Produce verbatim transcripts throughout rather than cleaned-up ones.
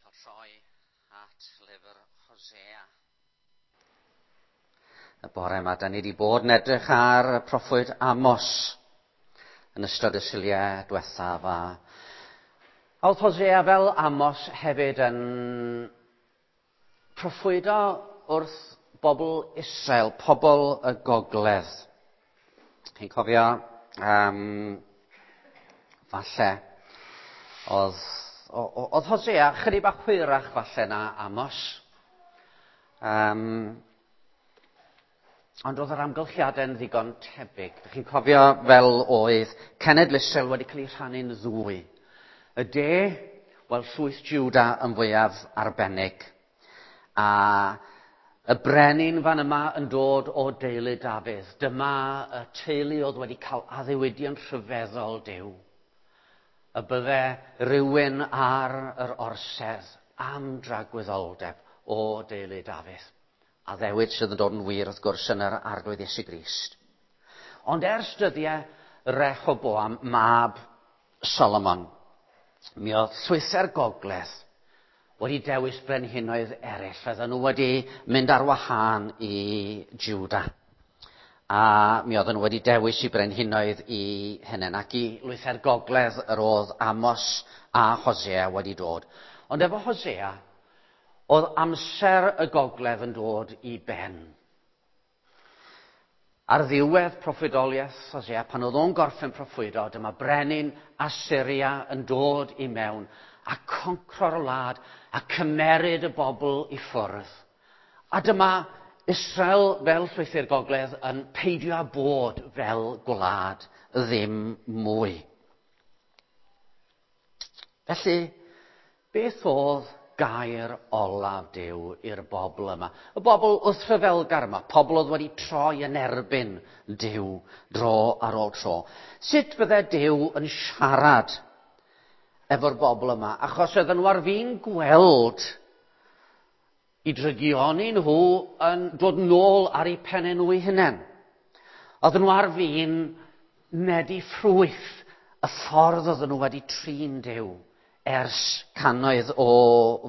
Cael troi at lyfr Hosea. Y bore yma, da ni wedi bod yn edrych ar y proffwyd Amos yn ystod y Suliau diwethaf. A oedd Hosea fel Amos hefyd yn proffwydo wrth bobl Israel, pobl y gogledd. Chi'n cofio, um, falle, oedd, oedd Hosea chydig bach hwyrach falle na Amos. Um, ond oedd yr amgylchiadau'n ddigon tebyg. Chi'n cofio fel oedd cenedl Israel wedi cael ei rhannu'n ddwy. Y de, wel, llwyth Juda yn fwyaf arbennig. A y brenin fan yma yn dod o deulu Dafydd. Dyma y teulu oedd wedi cael addewidion rhyfeddol Duw. Y bydde rhywun ar yr orsedd am dragwyddoldeb o deulu Dafydd. Addewid sydd yn dod yn wir wrth gwrs yn yr Arglwydd Iesu Grist. Ond ers dyddiau Rehoboam, mab Solomon, mi oedd llwythau'r gogledd wedi dewis brenhinoedd eraill. Oedden nhw wedi mynd ar wahân i Juda. A mi oedden nhw wedi dewis i brenhinoedd i hunain. Ac i lwythau'r gogledd yr oedd Amos a Hosea wedi dod. Ond efo Hosea, oedd amser y gogledd yn dod i ben. Ar ddiwedd proffwydoliaeth Hosea, pan oedd o'n gorffen proffwydo, dyma brenin Asyria yn dod i mewn a concro'r wlad a cymeryd y bobl i ffwrdd. A dyma Israel fel llwythi'r gogledd yn peidio â bod fel gwlad ddim mwy. Felly, beth oedd gair olaf Duw i'r bobl yma? Y bobl wrthryfelgar yma, pobl oedd wedi troi yn erbyn Duw dro ar ôl tro. Sut fydde Duw yn siarad efo'r bobl yma? Achos oedden nhw ar fin gweld i drygioni nhw yn dod nôl ar eu pennau nhw eu hunain. Oedden nhw ar fin medi ffrwyth y ffordd oedden nhw wedi trin Duw ers cannoedd o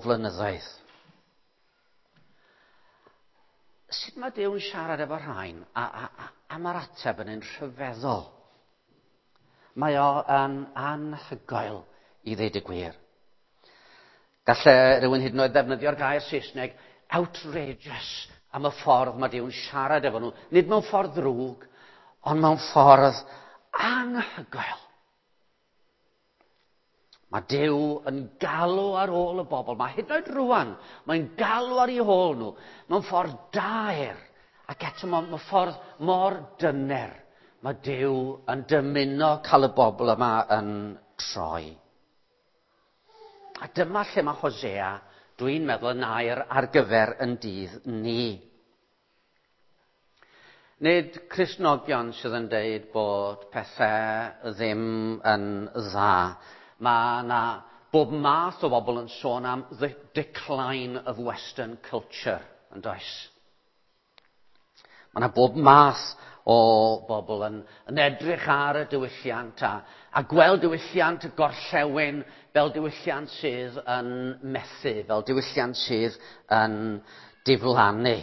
flynyddoedd. Sut mae Duw'n siarad efo rhain? A, a, a, a mae'r ateb yn un rhyfeddol. Mae o yn anhygoel i ddeud y gwir. Galle rhywun hyd yn oed ddefnyddio'r gair Saesneg outrageous am y ffordd mae Duw'n siarad efo nhw. Nid mewn ffordd ddrwg, ond mewn ffordd anhygoel. Mae Duw yn galw ar ôl y bobl. Mae hyd yn oed rwan, mae'n galw ar eu hôl nhw mewn ffordd daer ac eto mewn ffordd mor dyner. Mae Duw yn dymuno cael y bobl yma yn troi. A dyma lle mae Hosea, dwi'n meddwl, yn air ar gyfer yn dydd ni. Nid Cristnogion sydd yn deud bod pethau ddim yn dda. Mae yna bob math o bobl yn sôn am the decline of Western culture, yn does? Mae yna bob math o bobl yn, yn edrych ar y diwylliant a, a gweld diwylliant y gorllewin fel diwylliant sydd yn methu, fel diwylliant sydd yn diflannu.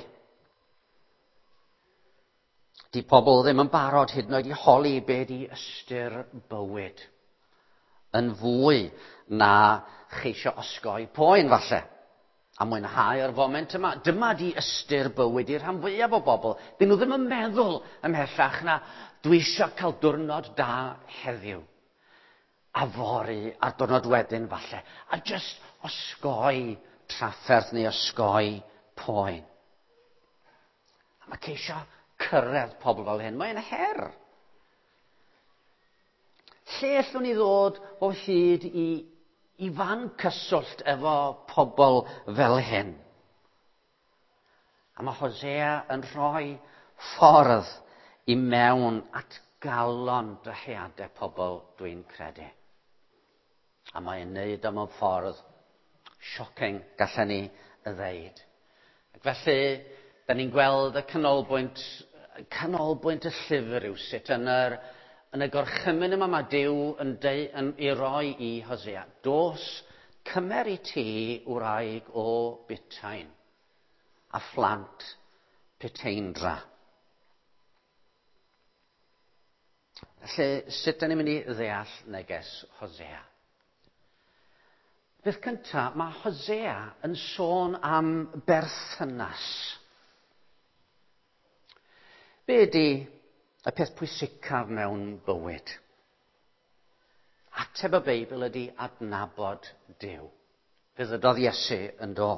Di pobl ddim yn barod hyd yn oed i holi be di ystyr bywyd. Yn fwy na cheisio osgoi poen falle. A mwynhau'r foment yma. Dyma di ystyr bywyd i'r rhan fwyaf o bobl. Dyn nhw ddim yn meddwl ymhellach na dwi eisiau cael diwrnod da heddiw. A fory a'r diwrnod wedyn falle. A just osgoi trafferth neu osgoi poen. A mae ceisio cyrraedd pobl fel hyn. Mae'n her. Lle allwn ni ddod o hyd i, i fan cyswllt efo pobl fel hyn? A mae Hosea yn rhoi ffordd i mewn at galon dyheadau pobl, dwi'n credu. A mae'n neud o mewn ffordd shocking, gallen ni ddeud. Ac felly, da ni'n gweld y canolbwynt, canolbwynt y llyfr rywsut yn yr Yn y gorchymyn yma mae Duw yn, deu, yn ei roi i Hosea. Dos, Cymer i ti wraig o butain a phlant puteindra. Felly, sut da ni'n mynd i ddeall neges Hosea? Beth cyntaf, mae Hosea yn sôn am berthynas. Be ydy y peth pwysicaf mewn bywyd? Ateb y Beibl ydy adnabod Duw. Fe ddydodd Iesu yn do.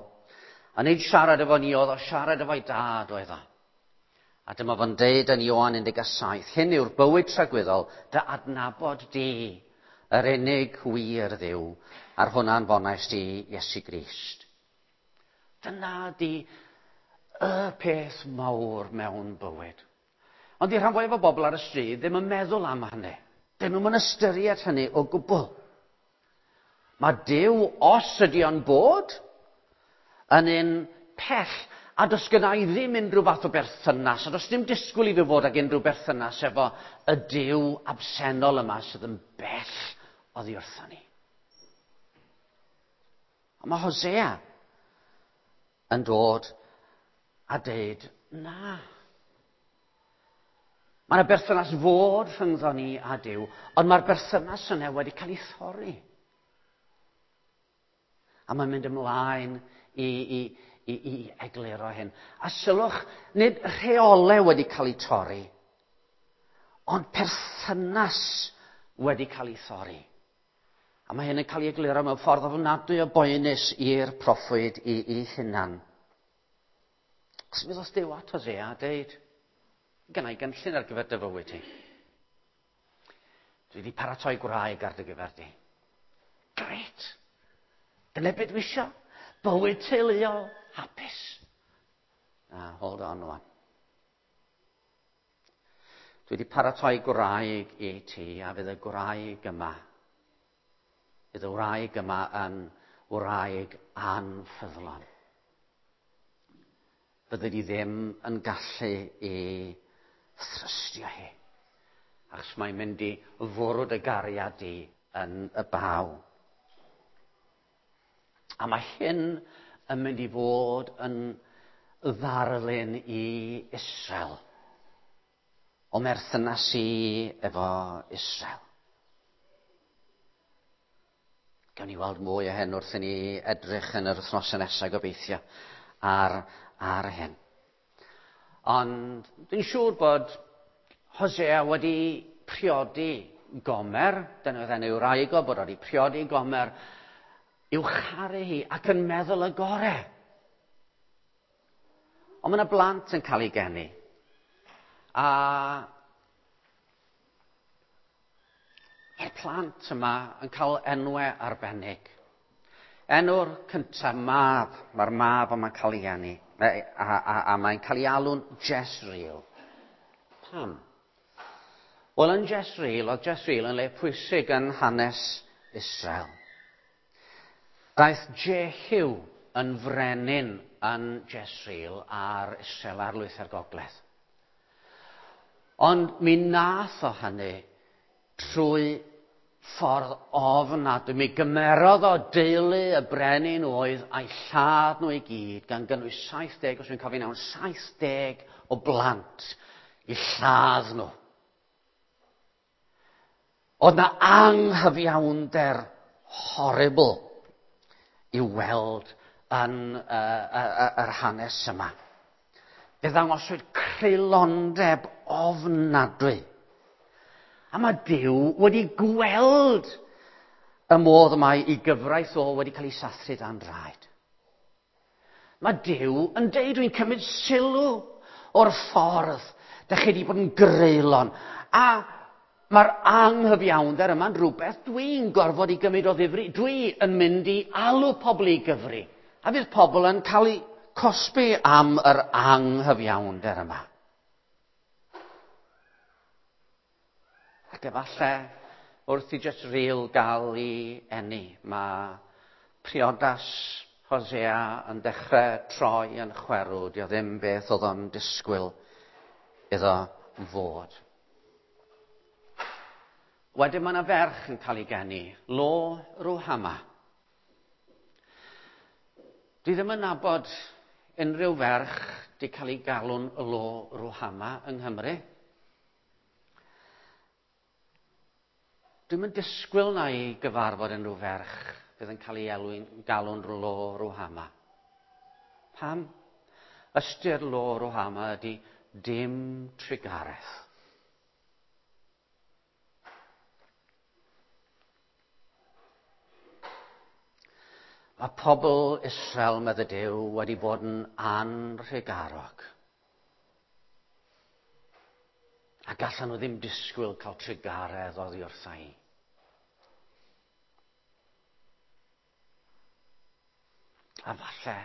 A nid siarad efo ni oedd o, siarad efo'i dad oedd o. A dyma fo'n deud yn Ioan un deg saith, hyn yw'r bywyd tragwyddol, dy adnabod di, yr unig wir Dduw, a'r hwnna'n fonais di Iesu Grist. Dyna di y peth mawr mewn bywyd. Ond di rhan fwyaf o bobl ar y stryd ddim yn meddwl am hynny. Dyn nhw'm yn ystyried hynny o gwbl. Mae Duw, os ydy o'n bod, yn un pell, a does gynna i ddim unrhyw fath o berthynas, a does dim disgwyl i fi fod ag unrhyw berthynas efo y Duw absennol yma sydd yn bell oddi wrthon ni. A mae Hosea yn dod a deud, na. Mae yna berthynas fod rhyngddo ni a Duw, ond mae'r berthynas yna wedi cael ei thorri. A mae'n mynd ymlaen i, i, i, i egluro hyn. A sylwch, nid rheolau wedi cael ei torri, ond perthynas wedi cael ei thorri. A mae hyn yn cael ei egluro mewn ffordd ofnadwy o boenus i'r proffwyd i, i hunan. Os mi ddos Duw at Hosea a deud, gynna i gynllun ar gyfer dy fywyd ti. Dwi wedi paratoi gwraig ar dy gyfer di. Gret! Dyna beth dwi isio. Bywyd teuluol, hapus. Na, hold on wan. Dwi wedi paratoi gwraig i ti, a fydd y gwraig yma, fydd y wraig yma yn wraig anffyddlon. Fyddi di ddim yn gallu i thrystio hi, achos mae'n mynd i fwrw dy gariad di yn y baw. A mae hyn yn mynd i fod yn ddarlun i Israel, o merthynas i efo Israel. Gawn ni weld mwy o hyn wrth i ni edrych yn yr wythnosau nesaf gobeithio ar, ar hyn. Ond dwi'n siŵr bod Hosea wedi priodi Gomer, dyna oedd enw wraig o, bod wedi priodi Gomer, i'w charu hi ac yn meddwl y gore. Ond mae yna blant yn cael ei geni. A mae'r plant yma yn cael enwau arbennig. Enw'r cyntaf, mab, mae'r mab yma'n cael ei geni, a, a, a, a mae'n cael ei alw'n Jezreel. Pam? Wel, yn Jezreel, oedd Jezreel yn le pwysig yn hanes Israel. Daeth Jehu yn frenin yn Jezreel ar Israel, ar lwyth ar gogledd. Ond mi nath o hynny trwy ffordd ofnadwy. Mi gymerodd o deulu y brenin oedd a'i lladd nhw i gyd, gan gynnwys saith deg, os dwi'n cofio'n iawn, saith deg o blant i lladd nhw. Oedd na anghyfiawnder horrible i'w weld yn uh, uh, yr hanes yma. Fe ddangoswyd creulondeb ofnadwy. A mae Duw wedi gweld y modd mae ei gyfraith o wedi cael ei sathru dan draed. Mae Duw yn deud, dwi'n cymryd sylw o'r ffordd dach chi wedi bod yn greulon. A mae'r anghyfiawnder yma'n rhywbeth dwi'n gorfod i gymryd o ddifri. Dwi yn mynd i alw pobl i gyfri. A fydd pobl yn cael eu cosbi am yr anghyfiawnder yma. Ac efallai wrth i Jezreel gael ei eni, mae priodas Hosea yn dechrau troi yn chwerw. Dio ddim beth oedd o'n disgwyl iddo fod. Wedyn mae yna ferch yn cael ei geni, Lo Ruhama. Dwi ddim yn nabod unrhyw ferch di cael ei galw'n Lo Ruhama yng Nghymru. Dwi'm yn disgwyl na i gyfarfod unrhyw ferch fydd yn cael ei elwyn, galw'n Lo Ruhama. Pam? Ystyr Lo Ruhama ydy dim trugaredd. Mae pobl Israel, medde Duw, wedi bod yn anrhugarog. A gallan nhw ddim disgwyl cael trugaredd oddi wrtha i. A falle,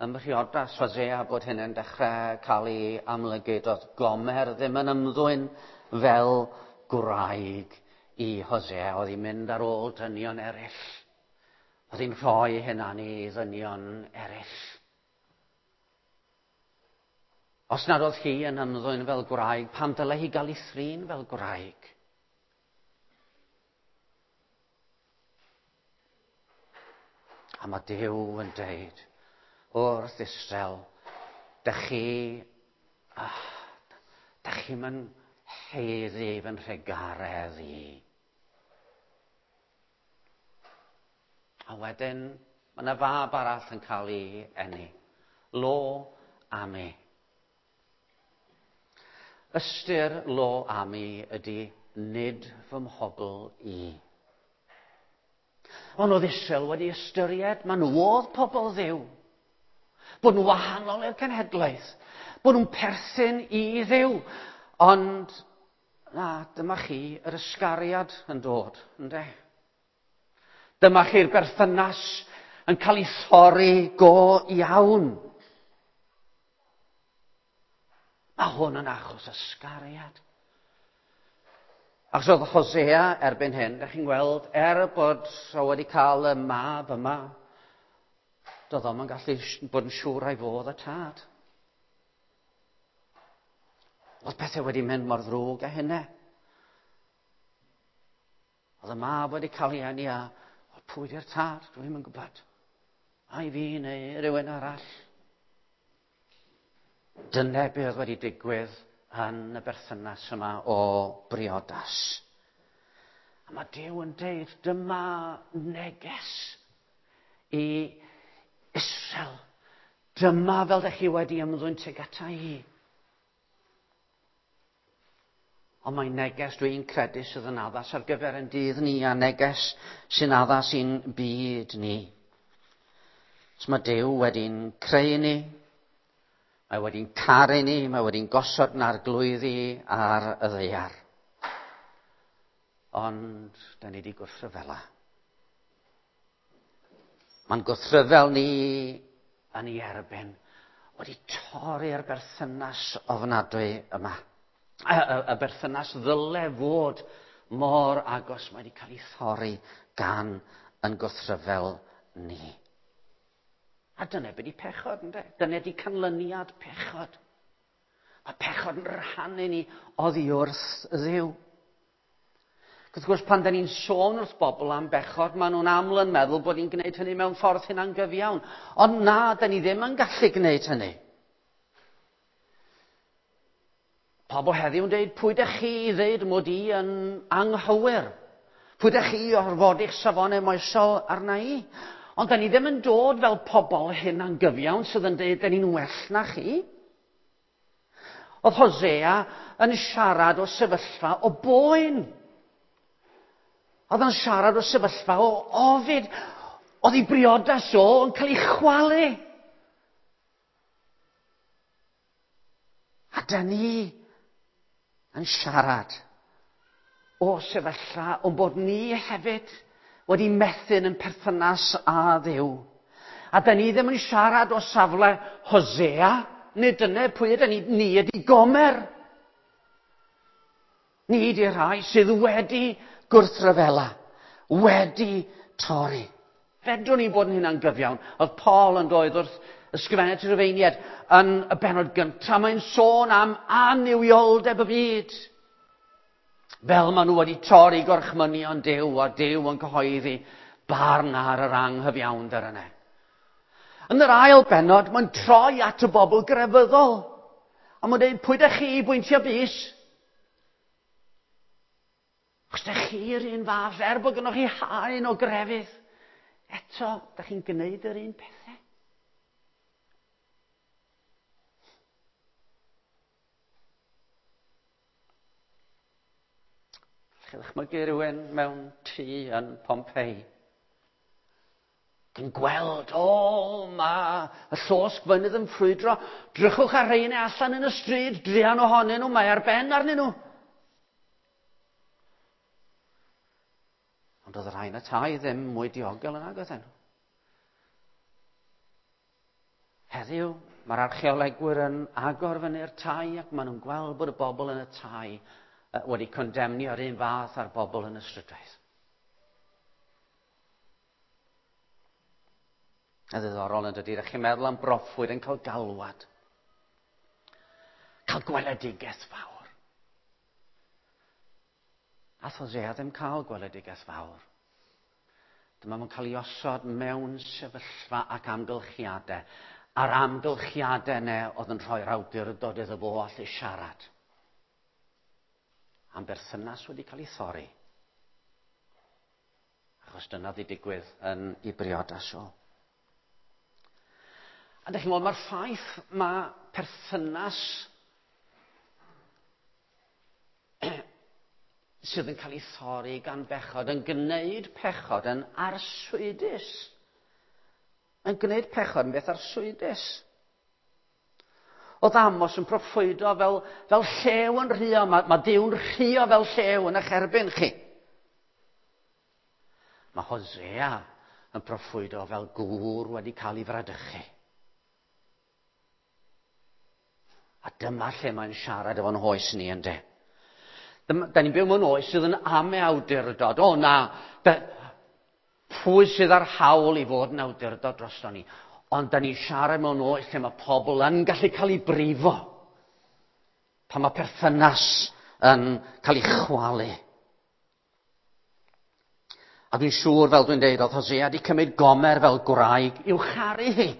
ym mhriodas Hosea bod hyn yn dechrau cael ei amlygu, doedd Gomer ddim yn ymddwyn fel gwraig i Hosea, oedd hi'n mynd ar ôl dynion eraill. Oedd hi'n rhoi hunan i ddynion eraill. Os nad oedd hi yn ymddwyn fel gwraig, pam dylai hi gael ei thrin fel gwraig? A mae Duw yn deud wrth Israel, dych chi, ah, dych chi'm yn haeddu fy nhrugaredd i. A wedyn, mae yna fab arall yn cael ei eni. Lo Ami. Ystyr Lo Ami ydy nid fy mhobl i. Ond oedd Israel wedi ystyried, maen nhw oedd pobl Dduw. Bod nhw wahanol i'r cenhedlaeth. Bod nhw'n perthyn i Dduw. Ond, na, dyma chi yr ysgariad yn dod, ynde? Dyma chi'r berthynas yn cael ei thorri go iawn. Mae hwn yn achos ysgariad. Achos oedd Hosea erbyn hyn, ydych chi'n gweld, er bod o wedi cael y mab yma, doedd o'm yn gallu bod yn siŵr ai fo oedd y tad. Oedd pethau wedi mynd mor ddrwg â hynny. Oedd y mab wedi cael ei eni a pwy di'r tad? Dwi'm yn gwybod. Ai fi neu rhywun arall. Dyna be oedd wedi digwydd yn y berthynas yma o briodas. A mae Duw yn deud, dyma neges i Israel. Dyma fel dych chi wedi ymddwyn tuag ata i. Ond mae neges dwi'n credu sydd yn addas ar gyfer ein dydd ni a neges sy'n addas i'n byd ni. So mae Duw wedi'n creu ni, mae wedi'n caru ni, mae wedi'n gosod yn arglwyddi ar y ddaear. Ond, da ni wedi gwrthryfela. Mae'n gwrthryfel ni yn ei erbyn wedi torri'r berthynas ofnadwy yma. Y, y, y berthynas ddyle fod mor agos mae wedi cael ei thorri gan yn gwrthryfel ni. A dyna be' 'di pechod, ynde? Dyna 'di canlyniad pechod. Mae pechod yn rhannu ni oddi wrth Dduw. Wrth gwrs, pan da ni'n sôn wrth bobl am bechod, maen nhw'n aml yn meddwl bod ni'n gwneud hynny mewn ffordd hunangyfiawn. Ond na, da ni ddim yn gallu gwneud hynny. Pobl heddiw yn dweud, pwy dych chi i ddeud mod i yn anghywir? Pwy dych chi i orfodi'ch safonau moesol arna i? Ond da ni ddim yn dod fel pobl hunangyfiawn sydd yn dweud, da ni'n well na chi. Oedd Hosea yn siarad o sefyllfa o boen. Oedd o'n siarad o sefyllfa o ofid. Oedd ei briodas o yn cael ei chwalu. A da ni yn siarad o sefyllfa o'n bod ni hefyd wedi methu'n yn perthynas â Dduw. A da ni ddim yn siarad o safle Hosea, nid dyna pwy ydyn ni, ni ydi Gomer. Ni ydi'r rhai sydd wedi gwrthryfela, wedi torri. Fedrwn ni bod yn hunangyfiawn. Oedd Paul yn dweud wrth ysgrifennu at y Rufeiniaid yn y bennod gyntaf, mae'n sôn am annuwioldeb y byd. Fel maen nhw wedi torri gorchmynion Duw a Duw yn cyhoeddi barn ar yr anghyfiawnder yna. Yn yr ail bennod, mae'n troi at y bobl grefyddol. A mae'n dweud, pwy dych chi i bwyntio bys? Os dych chi'r un fath, er bod gynnoch chi haen o grefydd, eto, dych chi'n gwneud yr un pethau. Chi ddychmygu rhywun mewn tŷ yn Pompeii yn gweld, o, mae y llosg fynydd yn ffrwydro, drychwch ar rheini allan yn y stryd, druan ohonyn nhw, mae ar ben arnyn nhw. Ond oedd y rhai yn y tai ddim mwy diogel yn agos nhw. Heddiw, mae'r archeolegwyr yn agor fyny'r tai ac maen nhw'n gweld bod y bobl yn y tai wedi condemnio'r un fath â'r bobl yn y strydoedd. A ddiddorol yn dydy, ydych chi'n meddwl am broffwyd yn cael galwad. Cael gweledigaeth fawr. Ath Hosea ddim cael gweledigaeth fawr. Dyma mae'n cael ei osod mewn sefyllfa ac amgylchiadau. A'r amgylchiadau yna oedd yn rhoi'r awdurdod iddo fo allu siarad. Am berthynas wedi cael ei thorri. Achos dyna ddi digwydd yn ei briodas o. A dych chi'n gweld, mae'r ffaith mae perthynas sydd yn cael ei thorri gan bechod yn gwneud pechod yn arswydus. Yn gwneud pechod yn beth arswydus. Oedd Amos yn proffwydo fel, fel llew yn rhuo. Mae, mae Duw'n rhuo fel llew yn eich erbyn chi. Mae Hosea yn proffwydo fel gŵr wedi cael ei fradychu. A dyma lle mae'n siarad efo'n hoes ni, ynddo. Da ni'n byw mewn oes sydd yn ame awdurdod. O na, da, pwy sydd ar hawl i fod yn awdurdod drosto ni? Ond da ni'n siarad mewn oes lle mae pobl yn gallu cael ei brifo. Pan mae perthynas yn cael ei chwalu. A dwi'n siŵr, fel dwi'n deud, oedd Hosea wedi cymryd Gomer fel gwraig i'w charu hi.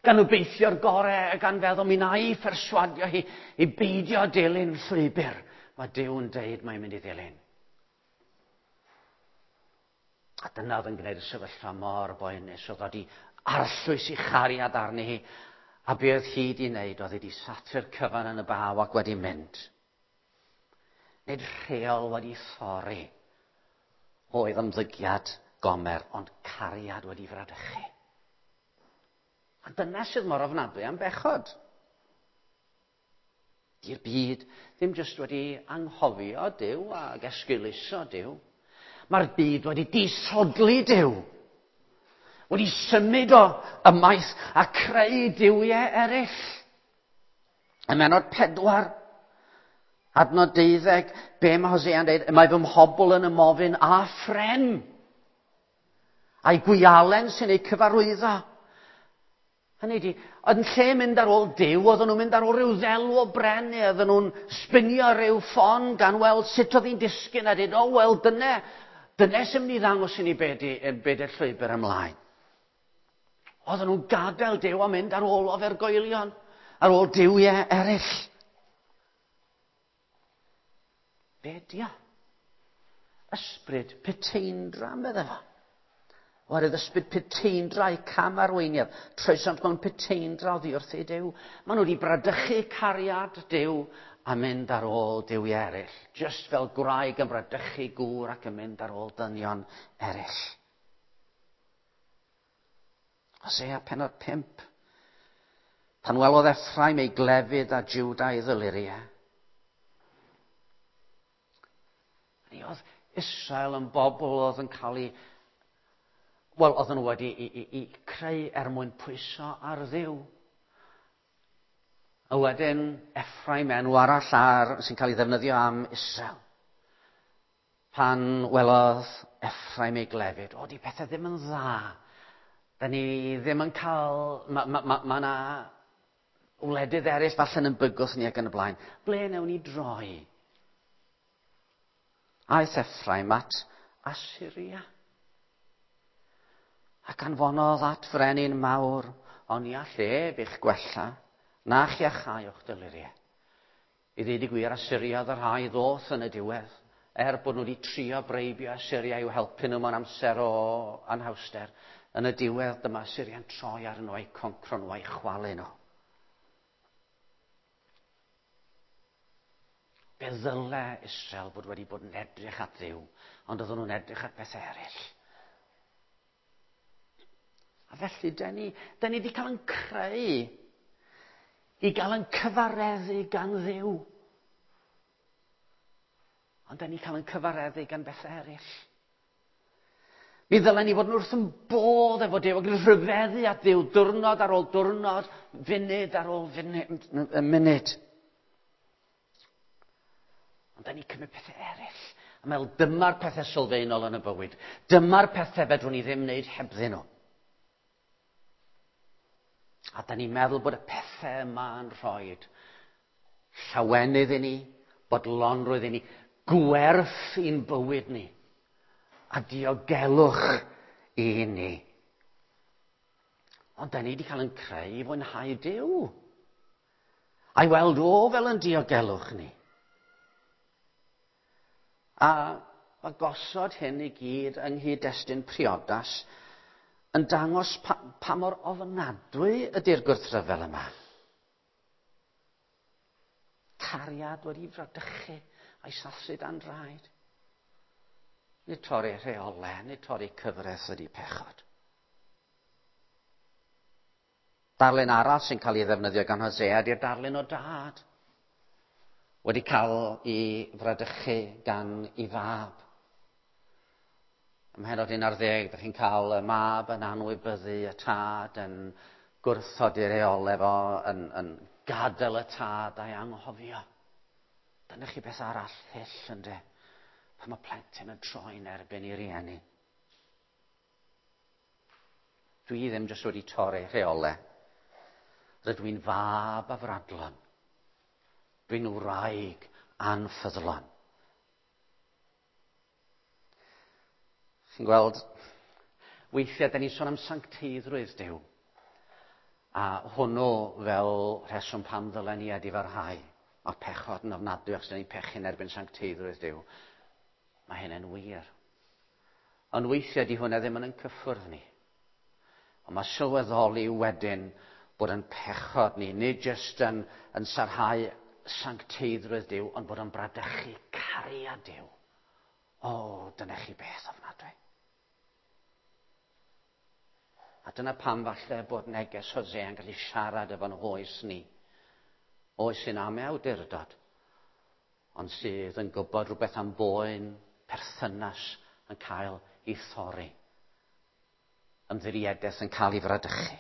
Gan obeithio'r gorau, gan feddwl mi na i pherswadio hi i beidio dilyn llwybr. Mae Duw'n deud mae'n mynd i ddilyn. A dyna oedd yn gwneud y sefyllfa mor boenus. Oedd wedi arllwys i chariad arni hi. A be oedd hi wedi wneud, oedd wedi satru'r cyfan yn y baw ac wedi mynd. Nid rheol wedi thorri oedd ymddygiad Gomer, ond cariad wedi fradychu. A dyna sydd mor ofnadwy am bechod. Di'r byd ddim jyst wedi anghofio Duw ac esgeuluso Duw. Mae'r byd wedi disodli Duw. Wedi symud o ymaith a creu duwiau eraill. Ym mennod pedwar, adnod deuddeg, be mae Hosea'n dweud? Mae fy mhobl yn ymofyn â phren. A'i gwialen sy'n ei cyfarwyddo. Hynny ydi, yn lle mynd ar ôl Duw, oedden nhw'n mynd ar ôl rhyw ddelw o bren, neu oedden nhw'n sbinio rhyw ffon gan weld sut oedd hi'n disgyn a dweud, o wel, dyna, dyna sy'n mynd i ddangos i ni be di, be di'r llwybr ymlaen. Oedden nhw'n gadael Duw a mynd ar ôl ofergoelion, ar ôl duwiau eraill. Be di o? Ysbryd puteindra, medde fo. Oherwydd ysbryd puteindra i cam arweiniad. Troesant mewn puteindra oddi wrth ei Duw. Maen nhw wedi bradychu cariad Duw a mynd ar ôl duwiau eraill. Just fel gwraig yn bradychu gŵr ac yn mynd ar ôl dynion eraill. Hosea pennod pump. Pan welodd Ephraim ei glefyd a Juda ei ddyluriau. Ni oedd Israel yn bobl oedd yn cael ei... Wel, oedden nhw wedi i, i, i creu er mwyn pwyso ar Dduw. A wedyn, Ephraim, enw arall ar, sy'n cael ei ddefnyddio am Israel. Pan welodd Ephraim ei glefyd, o, di pethau ddim yn dda. Da ni ddim yn cael... Mae ma, ma, ma na wledydd eraill falle'n yn bygwth ni ac yn y blaen. Ble newn ni droi? Aeth Ephraim at Assyria. Ac anfonodd at frenin mawr, Ond ni all ef eich gwella, na'ch iachau o'ch dyluriau. I ddweud y gwir, Asyria oedd y rhai ddoth yn y diwedd, er bod nhw wedi trio breibio Asyria i'w helpu nhw mewn amser o anhawster. Yn y diwedd, dyma Asyria'n troi ar nhw a'i concro nhw a'i chwalu nhw. Fe ddyle Israel fod wedi bod yn edrych at Dduw, ond oedden nhw'n edrych at bethau eraill. A felly, da ni, da ni wedi cael yn creu i gael yn cyfareddu gan Dduw. Ond da ni cael yn cyfareddu gan bethau eraill. Mi ddylen ni fod yn wrth yn bodd efo Duw ac yn rhyfeddu at Dduw diwrnod ar ôl diwrnod, funud ar ôl funud, munud. Ond da ni cymryd pethau eraill. A meddwl, dyma'r pethau sylfaenol yn y bywyd. Dyma'r pethau fedrwn ni ddim wneud hebddyn nhw. A da ni'n meddwl bod y pethau yma yn rhoi llawenydd i ni, bodlonrwydd i ni, gwerth i'n bywyd ni, a diogelwch i ni. Ond da ni wedi cael yn creu i fwynhau Duw. A'i weld o fel yn diogelwch ni. A mae gosod hyn i gyd yng nghyd-destun priodas yn dangos pa, pa mor ofnadwy ydy'r gwrthryfel yma. Cariad wedi fradychu a'i sathru dan draed. Nid torri rheolau, nid torri cyfraith ydy pechod. Darlun arall sy'n cael ei ddefnyddio gan Hosea ydy'r darlun o dad. Wedi cael ei fradychu gan ei fab. Ym mhennod un ar ddeg, ydych chi'n cael y mab yn anwybyddu y tad, yn gwrthod ei reolau fo, yn, yn gadael y tad a'i anghofio. Dyna chi beth arall hyll, ynde? Pan mae plentyn yn troi'n erbyn ei rieni. Dwi ddim jyst wedi torri rheolau. Rydw i'n fab afradlon. Dwi'n wraig anffyddlon. Chi'n gweld, weithiau da ni'n sôn am sancteiddrwydd Duw. A hwnnw fel rheswm pam ddylen ni edifarhau. Mae'r pechod yn ofnadwy achos da ni'n pechu'n erbyn sancteiddrwydd Duw. Mae hynny'n wir. Ond weithiau di hwnna ddim yn yn cyffwrdd ni. Ond mae sylweddoli wedyn bod yn pechod ni, nid jyst yn, yn sarhau sancteiddrwydd Duw, ond bod yn bradychu cariad Duw. O, dyna chi beth ofnadwy. A dyna pam falle bod neges Hosea yn gallu siarad efo'n hoes ni. Oes sy'n am awdurdod, ond sydd yn gwybod rhywbeth am boen perthynas yn cael ei thorri. Ymddiriedaeth yn cael ei fradychu.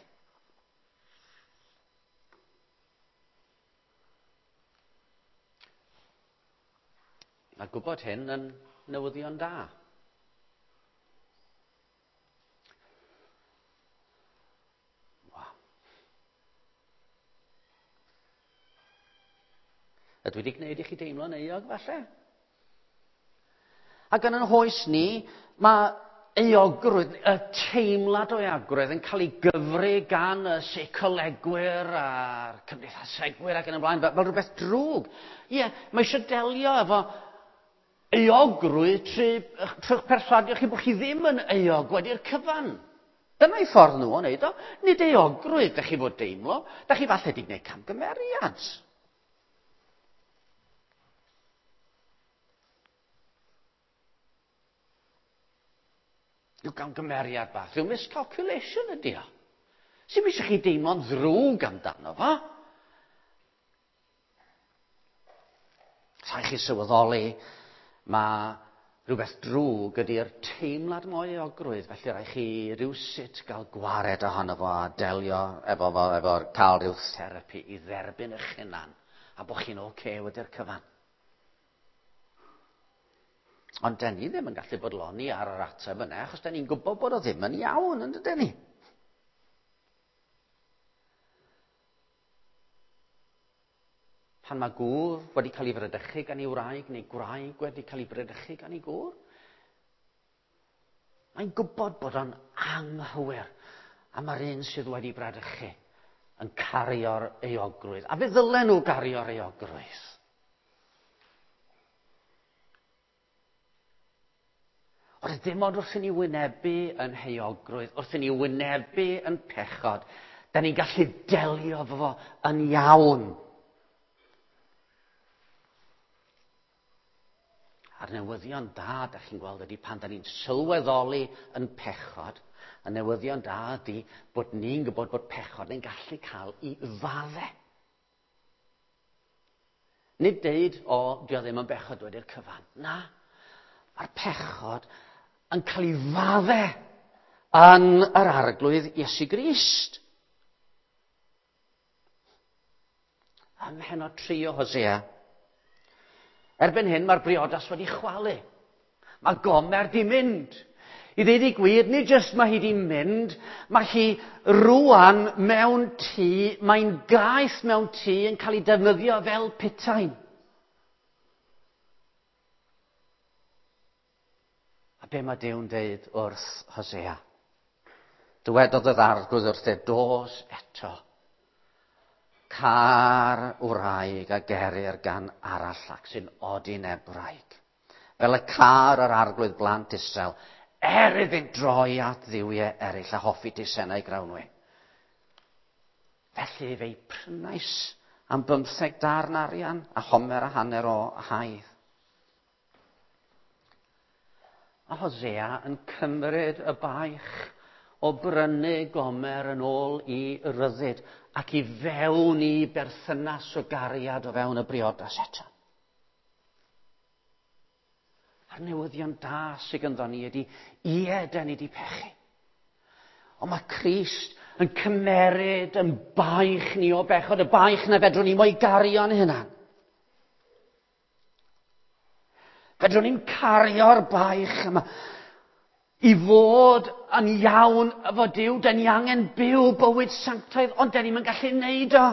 Mae gwybod hyn yn newyddion da. Wow. Ydw i wedi gwneud i chi deimlo'n euog falle? Ac yn yn hoes ni, mae euogrwydd, y teimlad o euogrwydd yn cael ei gyfri gan y seicolegwyr a'r cymdeithasegwyr ac yn y blaen, fel, fel rhywbeth drwg. Ie, yeah, mae eisiau delio efo euogrwydd trwy, trwy'ch perswadio chi bod chi ddim yn euog wedi'r cyfan. Dyna'i ffordd nhw o wneud o. Nid euogrwydd, da chi fod deimlo, da chi falle wedi gwneud camgymeriad. Rhyw gamgymeriad bach, rhyw miscalculation ydy o. Sy'm eisiau chi deimlo'n ddrwg amdano fo. Rhaid chi sylweddoli, mae rhywbeth drwg ydy'r teimlad mwy o euogrwydd, felly rhaid chi rywsut gael gwared ohono fo a delio efo fo, efo'r cael rhyw therapi i dderbyn eich hunan a bod chi'n oce okay wedi'r cyfan. Ond den ni ddim yn gallu bodloni ar yr ateb yna, achos den ni'n gwybod bod o ddim yn iawn, yn dydyn ni? Pan mae gŵr wedi cael ei fradychu gan ei wraig, neu gwraig wedi cael ei bradychu gan ei gŵr, mae'n gwybod bod o'n anghywir A mae'r un sydd wedi bradychu yn cario'r euogrwydd. A fe ddylen nhw gario'r euogrwydd. Ond dim ond wrth i ni wynebu yn heuogrwydd, wrth i ni wynebu yn pechod, da ni'n gallu delio efo fo yn iawn. A'r newyddion da, da chi'n gweld, ydy pan da ni'n sylweddoli yn pechod, y newyddion da ydy bod ni'n gwybod bod pechod yn gallu cael ei fadde. Nid deud, o, dio ddim yn bechod wedi'r cyfan. Na, mae'r pechod yn cael ei fadde yn yr Arglwydd Iesu Grist. Ym mhennod tri o Hosea, erbyn hyn mae'r briodas wedi chwalu. Mae Gomer di mynd. I ddeud i gwir, nid jyst mae hi di mynd, mae hi rwan mewn tŷ, mae'n gaeth mewn tŷ yn cael ei defnyddio fel putain. A be mae Duw'n deud wrth Hosea? Dywedodd yr Arglwydd wrth e, dos eto. Car wraig a gerir gan arall ac sy'n odineb wraig. Fel y car yr Arglwydd blant Israel, er iddynt droi at dduwiau eraill a hoffi deisennau grawnwin. Felly fe'i prynais am bymtheg darn arian a homer a hanner o haidd. A Hosea yn cymryd y baich o brynu Gomer yn ôl i ryddid ac i fewn i berthynas o gariad o fewn y briodas eto. A'r newyddion da sydd ganddo ni ydy, ie, da ni di pechu. Ond mae Crist yn cymeryd yn baich ni o bechod, y baich na fedrwn ni mo'i gario'n hunan. Fedrwn ni'n cario'r baich yma. I fod yn iawn efo Duw, da ni angen byw bywyd sanctaidd, ond da ni'm yn gallu neud o.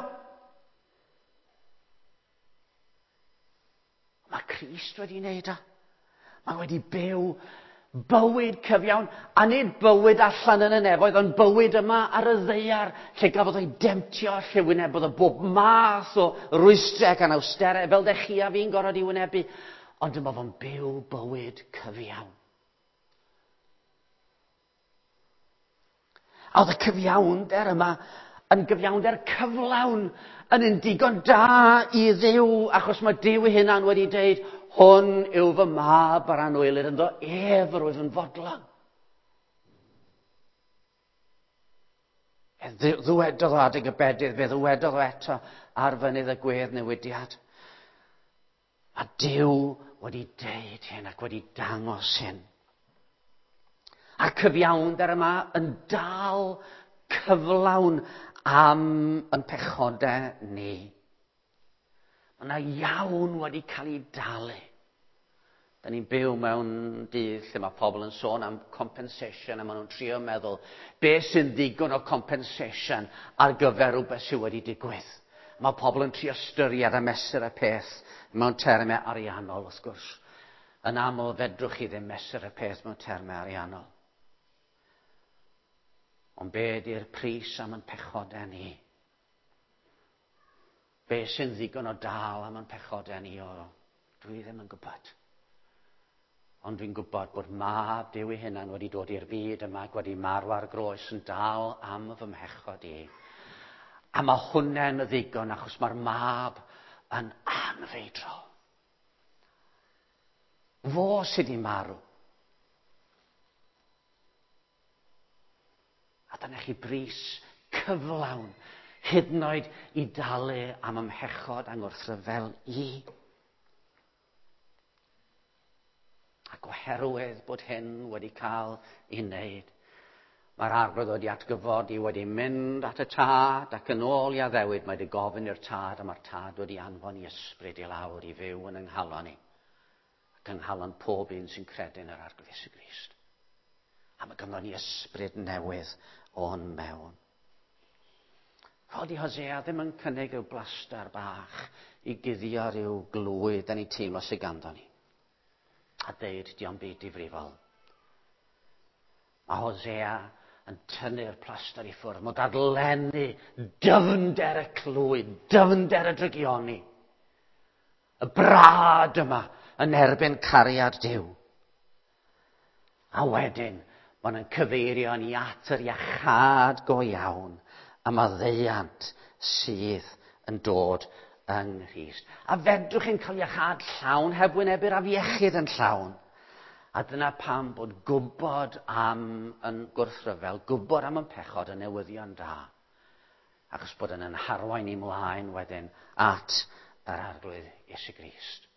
Mae Crist wedi neud o. Mae wedi byw bywyd cyfiawn, a nid bywyd allan yn y nefoedd, ond bywyd yma ar y ddaear, lle gafodd o'i demtio, lle wynebodd o bob math o rwystrau ac anawsterau, fel dech chi a fi'n gorfod i wynebu. Ond dyma fo'n byw bywyd cyfiawn. A oedd y cyfiawnder yma yn gyfiawnder cyflawn, yn un digon da i Dduw, achos mae Duw ei hunan wedi deud, hwn yw fy mab ar anwylyd, ynddo ef yr wyf yn fodlon. E ddywedodd o adeg y bedydd, fe ddywedodd o eto ar fynydd y gwedd newidiad. A Duw wedi deud hyn ac wedi dangos hyn. A'r cyfiawnder yma yn dal cyflawn am yn pechodau ni. Mae yna iawn wedi cael ei dalu. Da ni'n byw mewn dydd lle mae pobl yn sôn am compensation a maen nhw'n trio meddwl beth sy'n ddigon o compensation ar gyfer rhywbeth sydd wedi digwydd. Mae pobl yn trio ystyried a mesur y peth mewn termau ariannol, wrth gwrs. Yn aml fedrwch chi ddim mesur y peth mewn termau ariannol. Ond be ydy'r pris am yn pechodau ni? Be sy'n ddigon o dal am yn pechodau ni? O, dwi ddim yn gwybod. Ond dwi'n gwybod bod mab Duw ei hunan wedi dod i'r byd yma ac wedi marw ar groes yn dal am fy mhechod i. A mae hwnna'n ddigon achos mae'r mab yn anfeidrol. Fo sydd wedi marw. A dyna chi bris cyflawn, hyd yn oed i dalu am ymhechod angwrthryfel i. Ac oherwydd bod hyn wedi cael ei wneud, mae'r Arglwydd wedi atgyfodi, wedi mynd at y tad ac yn ôl i addewid, mae wedi gofyn i'r tad a mae'r tad wedi anfon i ysbryd i lawr i fyw yn yng nghalon ni ac yng nghalon pob un sy'n credu yn yr Arglwydd Iesu Grist. A mae ganddo ni ysbryd newydd o'n mewn. Rhoddi Hosea ddim yn cynnig rhyw blastar bach i guddio rhyw glwyd da ni'n teimlo sydd ganddo ni. A deud, dio'm byd difrifol. Mae Hosea yn tynnu'r plaster i ffwrdd. Mae'n dadlennu dyfnder y clwyd, dyfnder y drygioni. Y brad yma yn erbyn cariad Duw. A wedyn, maen nhw'n cyfeirio ni at yr iachâd go iawn a maddeuant sydd yn dod yng Nghrist. A fedrwch chi'n cael iachâd llawn heb wynebu'r afiechyd yn llawn. A dyna pam bod gwybod am yn gwrthryfel, gwybod am yn pechod yn newyddion da. Achos bod yn yn harwain i mlaen wedyn at yr Arglwydd Iesu Grist.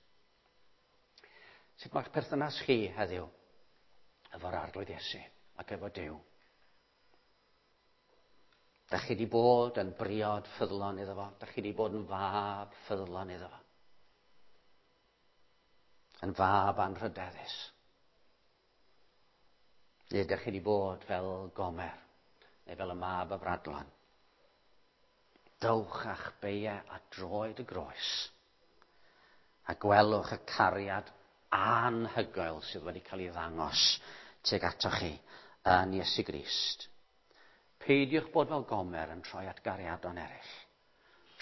Sut mae'ch perthynas chi heddiw efo'r Arglwydd Iesu ac efo Duw? Da chi wedi bod yn briod ffyddlon iddo fo? Da chi wedi bod yn fab ffyddlon iddo fo? Yn fab anrhydeddus? Neu ydych chi wedi bod fel Gomer, neu fel y mab y Bradlon? Dowch a'ch beiau at droed y groes, a gwelwch y cariad anhygoel sydd wedi cael ei ddangos tuag atoch chi yn Iesu Grist. Peidiwch bod fel Gomer yn troi at gariadon eraill.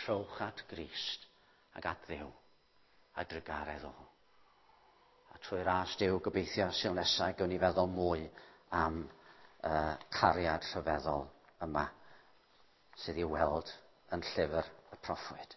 Trowch at Grist ac at Dduw a drugaredd o. A trwy ras Duw gobeithio Sul nesaf gawn ni feddwl mwy am uh, cariad rhyfeddol yma sydd i'w weld yn llyfr y proffwyd.